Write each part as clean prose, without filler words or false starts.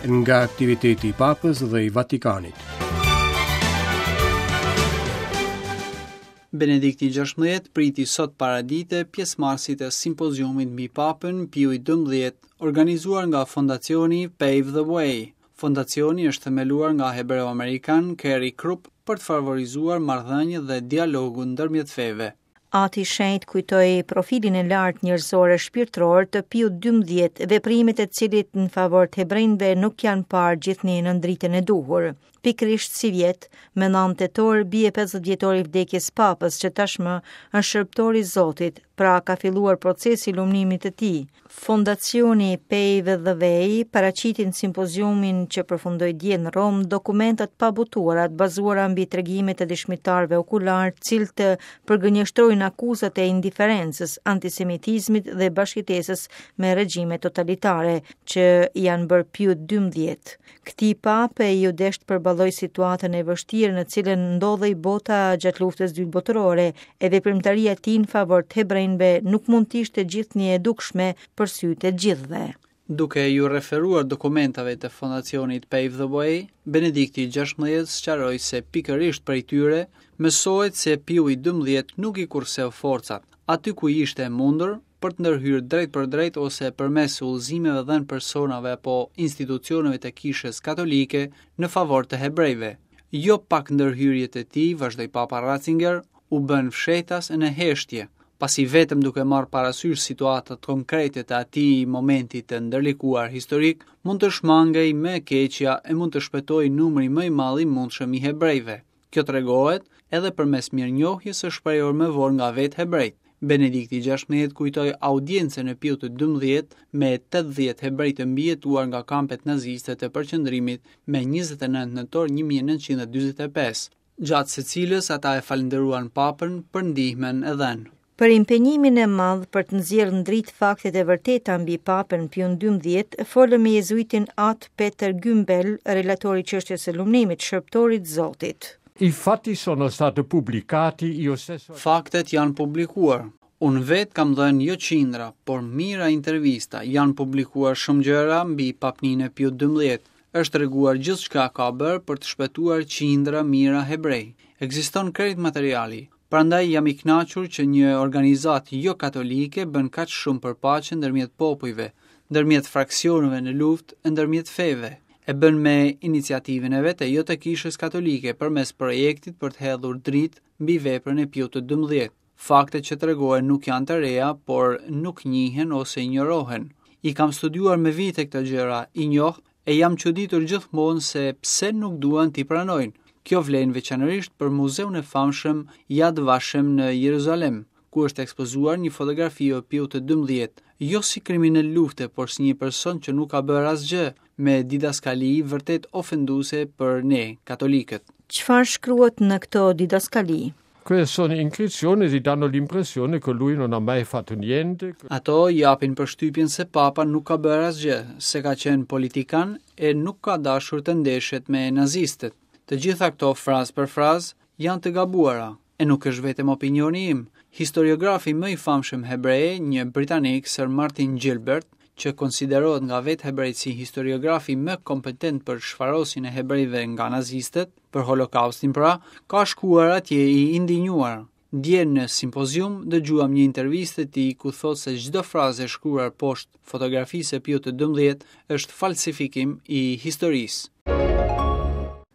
Nga aktiviteti i Papës dhe i Vatikanit. Benedikti XVI priti sot paradite pjesëmarrësit e simpoziumit mbi Papën Piu XII, organizuar nga fondacioni Pave the Way. Fondacioni është themeluar nga hebreu amerikan Kerry Krupp për të favorizuar marrëdhëniet dhe dialogun ndërmjet feve. Ati i Shenjtë kujtoi profilin e lartë njerëzor e shpirtëror të Piut XII, veprimet e të cilit në favor të hebrenjve nuk janë parë gjithnjë nën dritën e duhur. Pikërisht sivjet, me 9 tetor bie 50 vjetori i vdekjes Papës që tashmë është shërbëtor i Zotit, pra ka filluar procesi i lumnimit të tij. Fondacioni Pave the Way paraqiti në simpoziumin që përfundoi dje në Romë dokumenta të pabotuara të bazuara mbi tregimet e dëshmitarëve okularë, të cilët përgënjeshtrojnë akuzat e indiferencës, antisemitizmit dhe bashkëjetesës me regjime totalitare që i janë bërë Piut XII. Këtij pape iu desh të përballojë situatën e vështirë në cilën ndodhej bota gjatë luftës dytë botërore, e veprimtaria e tij në favor të hebrenjve nuk mund të ishte gjithnjë e dukshme për sytë e të gjithëve. Duke iu referuar dokumentave të fondacionit Pave the Way, Benedikti XVI sqaroi se pikërisht prej tyre mësohet se Piu i XII nuk i kurseu forcat, aty ku ishte e mundur, për të ndërhyrë drejtpërdrejt ose përmes udhëzimeve dhënë personave apo institucioneve të Kishës Katolike në favor të hebrejve. Jo pak ndërhyrje të tij, vazhdoi Papa Ratzinger, u bënë fshehtas e në heshtje, pasi vetëm duke marrë parasysh situatat konkrete të atij momenti të ndërlikuar historik, mund të shmangej më e keqja e mund të shpëtohej numri më i madh i mundshëm i hebrejve. Kjo tregohet edhe përmes mirënjohjes së shprehur më vonë nga vetë hebrejtë. Benedikti XVI kujtoi audiencën e Piut të XII me 80 hebrej të mbijetuar nga kampet naziste të përqendrimit me 29 nëntor 1945, gjatë së cilës ata e falënderuan Papën për ndihmën e dhënë. Për impenjimin e madh për të nxjerrë në dritë faktet e vërteta mbi Papën Piun XII, folëm me jezuitin At Peter Gümbel, relator i çështjes së lumnimit shërbëtorit të Zotit. I fatti sono stati pubblicati, io stesso. Faktet janë publikuar. Unë vetë kam dhënë jo qindra, por mijëra intervista, janë publikuar shumë gjëra mbi papninë e Piut XII. Është treguar gjithçka ka bërë për të shpëtuar qindra mijëra hebrej. Ekziston krejt materiali. Prandaj jam i kënaqur që një organizatë jo-katolike bën kaq shumë për paqen ndërmjet popujve, ndërmjet fraksioneve në luftë e ndërmjet feve. E bën me iniciativën e vet e jo të Kishës Katolike përmes projektit për të hedhur dritë mbi veprën e Piut të XII. Faktet që tregohen nuk janë të reja, por nuk njihen ose injorohen. I kam studiuar me vite këto gjëra, i njoh E jam çuditur gjithmonë se pse nuk duan t'i pranojnë. Kjo vlen veçanërisht për muzeun e famshëm Yad Vashem në Jeruzalem, ku është ekspozuar një fotografi e Piut të XII, jo si kriminel lufte, por si një person që nuk ka bërë asgjë, me didaskali vërtet ofenduese për ne, katolikët. Çfarë shkruhet në këto didaskali? Queste sono iscrizioni che danno l'impressione che lui non ha mai fatto niente. Ato japin përshtypjen se Papa nuk ka bërë asgjë, se ka qenë politikan e nuk ka dashur të ndeshet me nazistët. Të gjitha këto frazë për frazë janë të gabuara, e nuk është vetëm opinioni im. Historiografi më i famshëm hebre, një britanik, Sir Martin Gilbert, që konsiderohet nga vetë hebrejtë si historiografi më kompetent për shfarosjen e hebrejve nga nazistët, për Holokaustin pra, ka shkuar atje i indinjuar. Dje në simpozium dëgjuam një intervistë të tij ku thotë se çdo frazë e shkruar poshtë fotografisë së Piut të XII është falsifikim i historisë.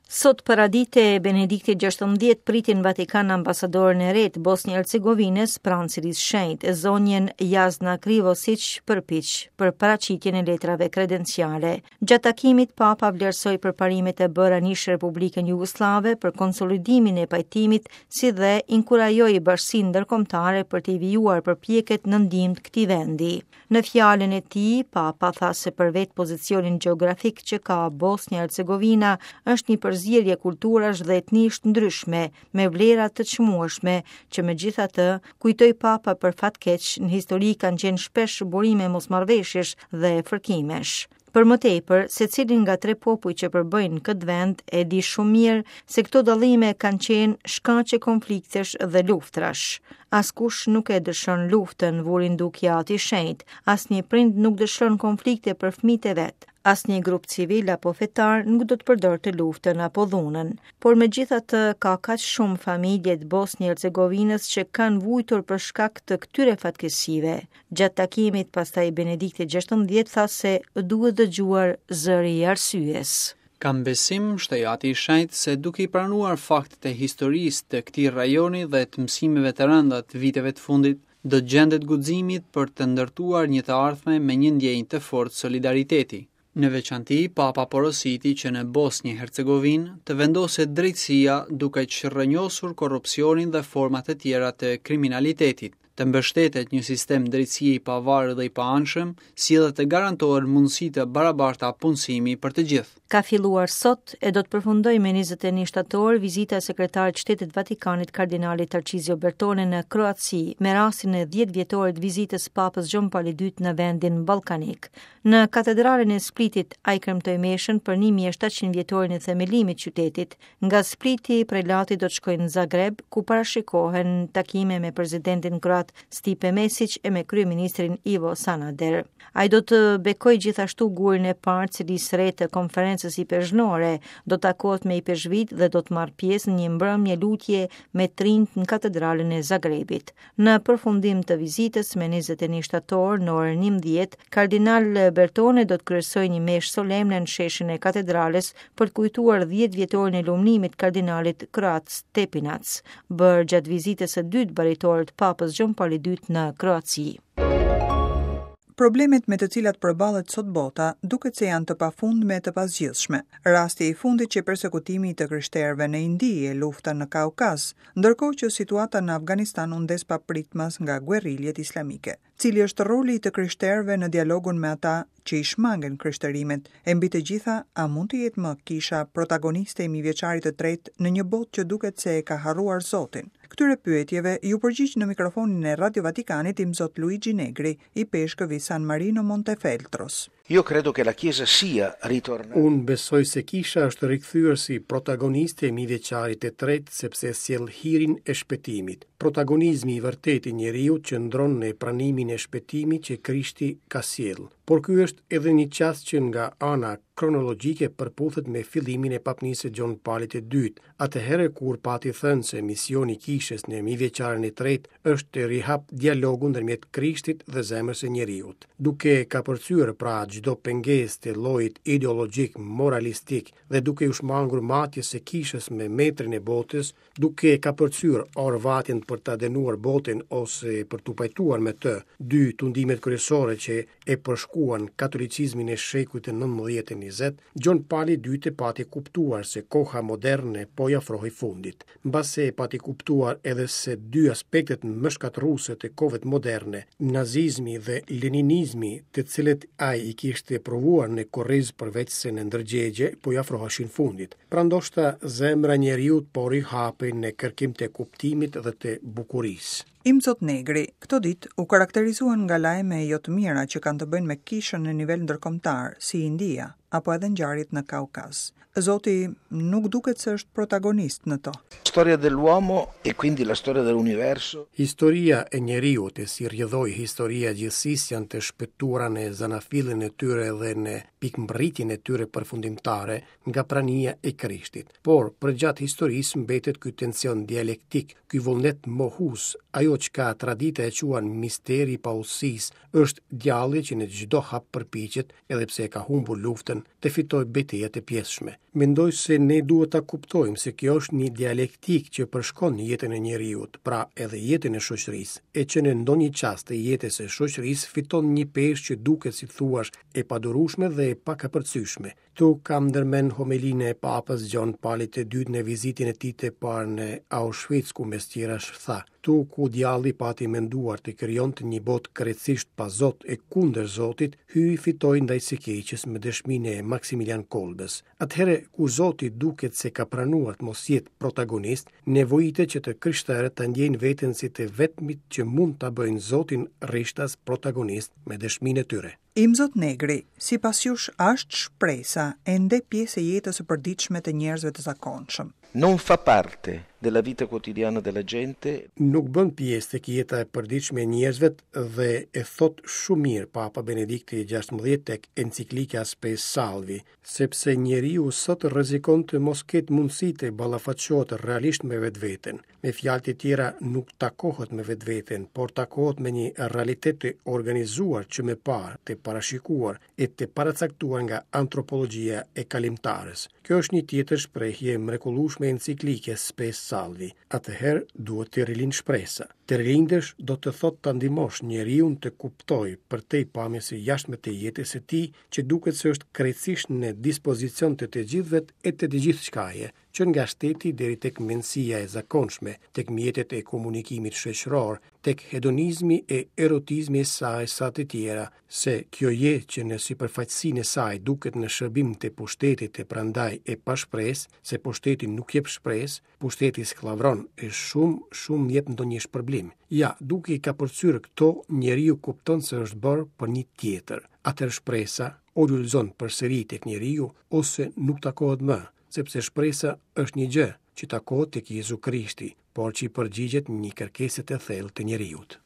Sot paradite Benedikti XVI priti në Vatikan ambasadoren e re të Bosnjë Hercegovinës pranë Selisë së Shenjtë, zonjën Jasna Krivosiq Prpiq për paraqitjen e letrave kredenciale. Gjatë takimit, Papa vlerësoi përparimet e bëra në ish Republikën Jugosllave për konsolidimin e pajtimit, si dhe inkurajoi bashkësinë ndërkombëtare për të vijuar përpjekjet në ndihmë të këtij vendi. Në fjalën e tij, Papa tha se për vetë pozicionin gjeografik që ka Bosnja Hercegovina është një përzierje kulturash dhe etnish të ndryshme, me vlera të çmueshme, që megjithatë, kujtoi Papa për fat keq, në histori kanë qenë shpesh burime mosmarrëveshjesh dhe fërkimesh. Për më tepër, secili nga tre popujt që përbëjnë këtë vend e di shumë mirë se këto dallime kanë qenë shkaqe konfliktesh dhe luftrash. Askush nuk e dëshiron luftën, vuri në dukje Ati i Shenjtë. Asnjë prind nuk dëshiron konflikte për fëmijët e vet. Asnjë grup civil apo fetar nuk do të përdorte luftën apo dhunën. Por megjithatë ka kaq shumë familje të Bosnjë-Hercegovinës që kanë vujtur për shkak të këtyre fatkeqësive. Gjatë takimit pastaj Benedikti XVI tha se duhet dëgjuar zëri i arsyes. Kam besim, shtoi Ati i Shenjtë, se duke i pranuar faktet e historisë të këtij rajoni dhe të mësimeve të rënda të viteve të fundit, do të gjendet guximi për të ndërtuar një të ardhme me një ndjenjë të fortë solidariteti. Në veçanti, Papa porositi që në Bosnjë Hercegovinë të vendoset drejtësia duke çrrënjosur korrupsionin dhe format e tjera të kriminalitetit, të mbështetet një sistem drejtësie i pavarur dhe i paanshëm, si dhe të garantohen mundësi të barabarta punësimi për të gjithë. Ka filluar sot e do të përfundojë me 21 shtator vizita e sekretarit të Shtetit të Vatikanit kardinalit Tarcizio Bertone në Kroaci me rastin e 10 vjetorit të vizitës së Papës Gjon Pali II në vendin ballkanik. Në katedralen e Splitit ai kremtoi meshën për 1700 vjetorin e themelimit të qytetit. Nga Spliti prelati do të shkojë në Zagreb ku parashikohen takime me presidentin kroat Stipe Mesic e me kryeministrin Ivo Sanader. Ai do të bekojë gjithashtu gurin e parë të selisë së re të konferencës ipeshkvnore, do të takohet me ipeshkvijtë dhe do të marrë pjesë në një mbrëmje lutje me të rinjtë në katedralen e Zagrebit. Në përfundim të vizitës me 21 shtator në orën 11, kardinal Bertone do të kryesojë një meshë solemne në sheshin e katedrales për të kujtuar 10 vjetorin e lumnimit të kardinalit kroat Stepinac, bërë gjatë vizitës së dytë baritore të Papës Gjon Pali II në Kroaci. Problemet me të cilat përballet sot bota duket se janë të pafundme e të pazgjidhshme. Rasti i fundit qe persekutimi i të krishterëve në Indi e lufta në Kaukaz, ndërkohë që situata në Afganistan u ndez papritmas nga guerriljet islamike. Cili është roli i të krishterëve në dialogun me ata që i shmangen krishterimit, e mbi të gjitha, a mund të jetë më kisha protagoniste e mijëvjeçarit të tretë në një botë që duket se e ka harruar Zotin? Këtyre pyetjeve iu përgjigj në mikrofonin e Radio Vatikanit Imzot Luigi Negri, ipeshkëv i San Marino Montefeltros. Io credo che la Chiesa sia ritornata. Unë besoj se Kisha është rikthyer si protagoniste e mijëvjeçarit të tretë sepse sjell hirin e shpëtimit. Protagonizmi i vërtetë i njeriut qëndron në pranimin e shpëtimit që Krishti ka sjellë. Por ky është edhe një çast që nga ana kronologjike përputhet me fillimin e papnisë së Gjon Palit të Dytë, atëherë kur pati thënë se misioni i Kishës në mijëvjeçarin e tretë është të rihapë dialogun ndërmjet Krishtit dhe zemrës së njeriut. Duke kapërcyer pra çdo pengesë të llojit ideologjik moralistik dhe duke iu shmangur matjes së Kishës me metrin e botës, duke kapërcyer orvatjen për ta dënuar botën ose për t'u pajtuar me të, dy tundimet kryesore që e përshkuan katolicizmin e shekujt të 19 e 20, Gjon Pali i Dytë pati kuptuar se koha moderne po i afrohej fundit. Mbase e pati kuptuar edhe se dy aspektet më shkatërruese të kohëve moderne, nazizmi dhe leninizmi, të cilët ai i kishte provuar në kurriz përveçse në ndërgjegje, po i afroheshin fundit. Pra ndoshta zemra e njeriut po rihapej në kërkim të kuptimit dhe të bukurisë. Imzot Negri, këto ditë u karakterizuan nga lajme jo të mira që kanë të bëjnë me kishën në nivel ndërkombëtar, si India, apo edhe ngjarjet në Kaukaz. Zoti nuk duket se është protagonist në to. Storia dell'uomo e quindi la storia dell'universo. Historia e njeriut e si rrjedhojë historia e gjithësisë janë të shpëtuara në zanafillën e tyre dhe në pikëmbërritjen e tyre përfundimtare nga prania e Krishtit. Por, përgjatë historisë mbetet ky tension dialektik, ky vullnet mohues, ajo çka tradita e quan misteri i paudhësisë, është djalli që në çdo hap përpiqet, edhe pse e ka humbur luftën, të fitojë beteja të pjesshme. Mendoj se ne duhet ta kuptojmë se kjo është një dialektikë që përshkon jetën e njeriut, pra edhe jetën e shoqërisë, e që në ndonjë çast të jetës së shoqërisë fiton një peshë që duket si të thuash e padurueshme dhe e pakapërcyeshme. Këtu kam ndërmend homelinë e Papës Gjon Palit të Dytë në vizitën e tij të parë në Auschwitz, ku mes tjerash tha: Këtu ku djalli pati menduar të krijonte një botë krejtësisht pa Zot e kundër Zotit, Hyji fitoi ndaj së keqes me dëshminë e Maksimilian Kolbës. Atëherë kur Zoti duket se ka pranuar të mos jetë protagonist, nevojitet që të krishterët ta ndjejnë veten si të vetmit që mund ta bëjnë Zotin rishtas protagonist me dëshminë e tyre. Imzot Negri, sipas jush a është shpresa ende pjesë e jetës së përditshme të njerëzve të zakonshëm? Non fa parte della vita quotidiana della gente. Nuk bën pjesë tek jeta e përditshme e njerëzve dhe e thotë shumë mirë Papa Benedikti XVI tek enciklika Spe Salvi, sepse njeriu sot rrezikon të mos ketë mundësi të ballafaqohet realisht me vetveten. Me fjalë të tjera, nuk takohet me vetveten, por takohet me një realitet të organizuar që më parë, të parashikuar e të paracaktuar nga antropologjia e kalimtares. Kjo është një tjetër shprehje e mrekullueshme e enciklikës Spe Salvi. Atëherë duhet të rilindë shpresa. Të rilindësh do të thotë ta ndihmosh njeriun të kuptojë përtej pamjes së jashtme të jetës së tij që duket se është krejtësisht në dispozicion të të gjithëve e të të gjithçkaje, që nga shteti deri tek mendësia e zakonshme, tek mjetet e komunikimit shoqëror, tek hedonizmi e erotizmi e sa e sa të tjera, se kjo jetë që në sipërfaqësinë e saj duket në shërbim të pushtetit e prandaj e pashpresë, se pushteti nuk jep shpresë, Pushteti skllavëron e shumë, shumë jep ndonjë shpërblim. Ja, duke i kapërcyer këto, njeriu kupton se është bërë për një tjetër. Atëherë shpresa o lulëzon përsëri tek njeriu ose nuk takohet më, sepse shpresa është një gjë që takohet tek Jezu Krishti, por që i përgjigjet një kërkese të thellë të njeriut.